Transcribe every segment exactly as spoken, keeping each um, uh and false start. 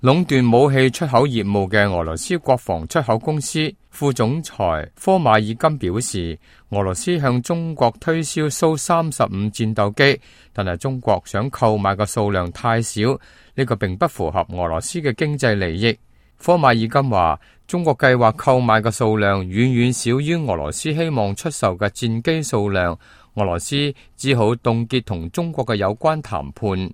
壟斷武器出口業務嘅俄羅斯國防出口公司副總裁科馬爾金表示，俄羅斯向中國推銷蘇三十五戰鬥機，但係中國想購買嘅數量太少，呢個並不符合俄羅斯嘅經濟利益。科馬爾金話，中國計劃購買嘅數量遠遠少於俄羅斯希望出售嘅戰機數量，俄羅斯只好凍結同中國嘅有關談判。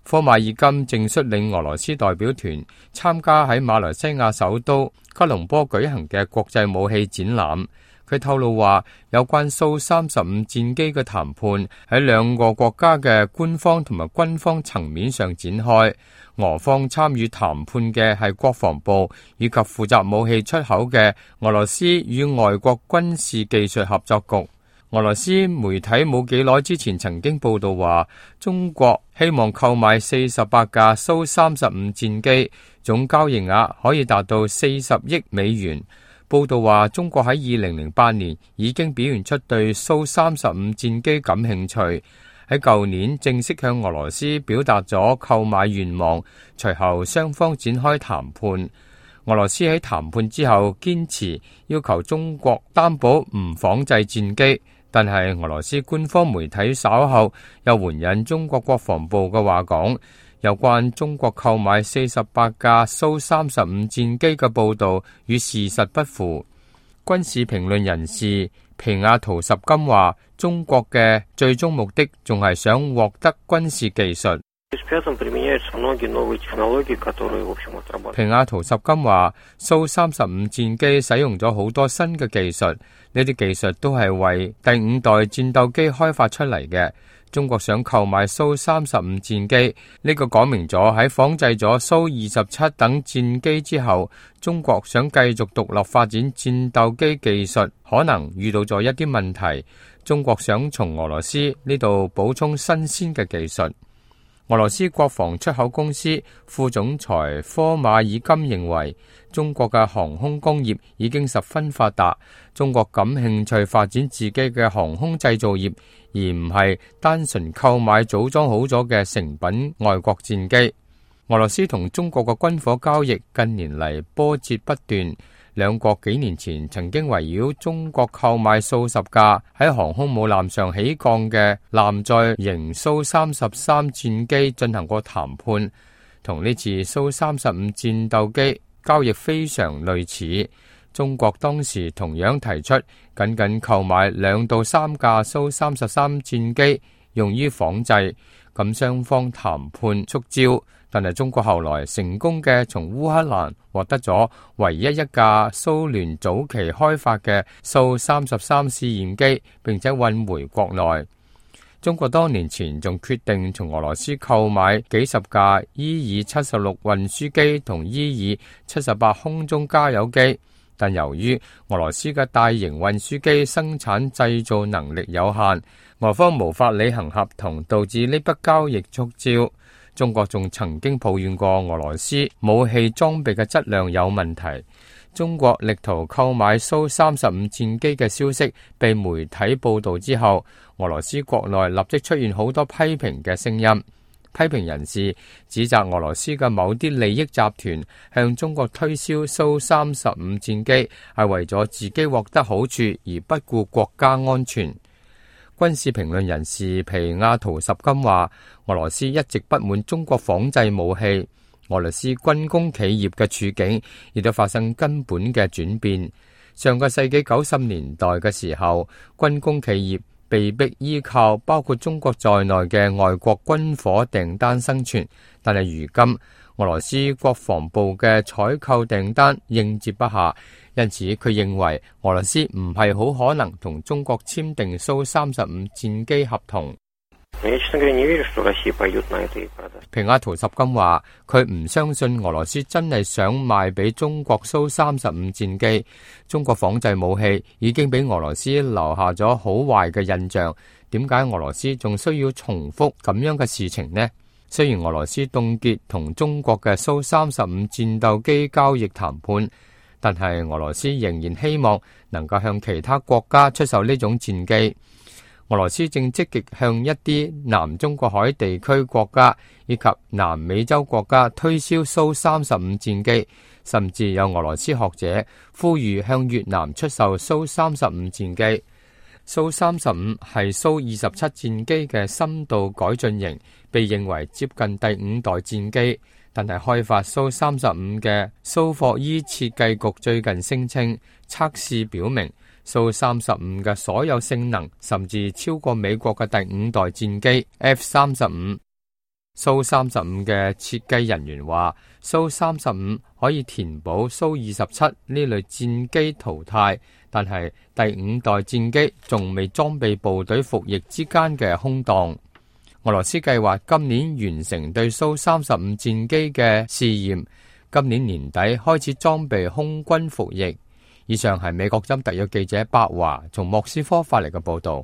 科馬爾金正率領俄羅斯代表團參加喺馬來西亞首都吉隆坡舉行嘅國際武器展覽。佢透露話，有關蘇三十五戰機嘅談判喺兩個國家嘅官方同埋軍方層面上展開。俄方參與談判嘅係國防部以及負責武器出口嘅俄羅斯與外國軍事技術合作局。俄羅斯媒體冇幾耐之前曾經報道話，中國希望購買四十八架蘇三十五戰機，總交易額可以達到四十億美元。報道話，中國喺二零零八年已經表現出對蘇三十五戰機感興趣，喺舊年正式向俄羅斯表達咗購買願望，隨後雙方展開談判。俄羅斯喺談判之後堅持要求中國擔保唔仿製戰機。但係俄羅斯官方媒體稍後又援引中國國防部嘅話講，有關中國購買四十八架蘇三十五戰機嘅報導與事實不符。軍事評論人士皮亞圖什金話，中國嘅最終目的仲係想獲得軍事技術。皮亞圖什金話，蘇三十五戰機使用咗好多新嘅技術，呢啲技術都係為第五代戰鬥機開發出嚟嘅。中國想購買蘇三十五戰機，呢個講明咗喺仿製咗蘇二十七等戰機之後，中國想繼續獨立發展戰鬥機技術，可能遇到咗一啲問題。中國想從俄羅斯呢度補充新鮮嘅技術。俄羅斯國防出口公司副總裁科馬爾金認為，中國嘅航空工業已經十分發達，中國感興趣發展自己嘅航空製造業，而唔係單純購買組裝好咗嘅成品外國戰機。俄羅斯同中國嘅軍火交易近年嚟波折不斷，兩國幾年前曾經圍繞中國購買數十架喺航空母艦上起降嘅艦載型蘇三十三戰機進行過談判，同呢次蘇三十五戰鬥機交易非常類似。中國當時同樣提出僅僅購買兩到三架蘇三十三戰機用於仿製，咁雙方談判觸礁。但係中國後來成功嘅從烏克蘭獲得咗唯一一架蘇聯早期開發嘅蘇三十三試驗機，並且運回國內。中國多年前仲決定從俄羅斯購買幾十架伊爾七十六運輸機同伊爾七十八空中加油機，但由於俄羅斯嘅大型運輸機生產製造能力有限，俄方無法履行合同，導致呢筆交易觸礁。中國仲曾經抱怨過俄羅斯武器裝備嘅質量有問題。中國力圖購買蘇三十五戰機嘅消息被媒體報道之後，俄羅斯國內立即出現好多批評嘅聲音。批評人士指責俄羅斯嘅某啲利益集團向中國推銷蘇三十五戰機係為咗自己獲得好處而不顧國家安全。軍事評論人士皮亞圖什金話，俄羅斯一直不滿中國仿製武器，俄羅斯軍工企業嘅處境亦都發生根本嘅轉變。上個世紀九十年代嘅時候，軍工企業被迫依靠包括中國在內嘅外國軍火訂單生存，但係如今俄羅斯國防部嘅採購訂單應接不暇。因此，佢認為俄羅斯唔係好可能同中國簽訂蘇三十五戰機合同。皮亞圖什金話，佢唔相信俄羅斯真係想賣俾中國蘇三十五戰機。中國仿製武器已經俾俄羅斯留下咗好壞嘅印象，點解俄羅斯仲需要重複咁樣嘅事情呢？雖然俄羅斯凍結同中國嘅蘇三十五戰鬥機交易談判，但係俄羅斯仍然希望能夠向其他國家出售呢種戰機。俄羅斯正積極向一啲南中國海地區國家以及南美洲國家推銷蘇三十五戰機，甚至有俄羅斯學者呼籲向越南出售蘇三十五戰機。蘇三十五係蘇二十七戰機嘅深度改進型，被認為接近第五代戰機。但係開發蘇三十五嘅蘇霍伊設計局最近聲稱，測試表明蘇三十五嘅所有性能甚至超過美國嘅第五代戰機 F 三十五。蘇三十五嘅設計人員話，蘇三十五可以填補蘇二十七呢類戰機淘汰，但係第五代戰機仲未裝備部隊服役之間嘅空檔。俄羅斯計劃今年完成對蘇三十五戰機嘅試驗，今年年底開始裝備空軍服役。以上係美國之音特約記者白華從莫斯科發嚟嘅報道。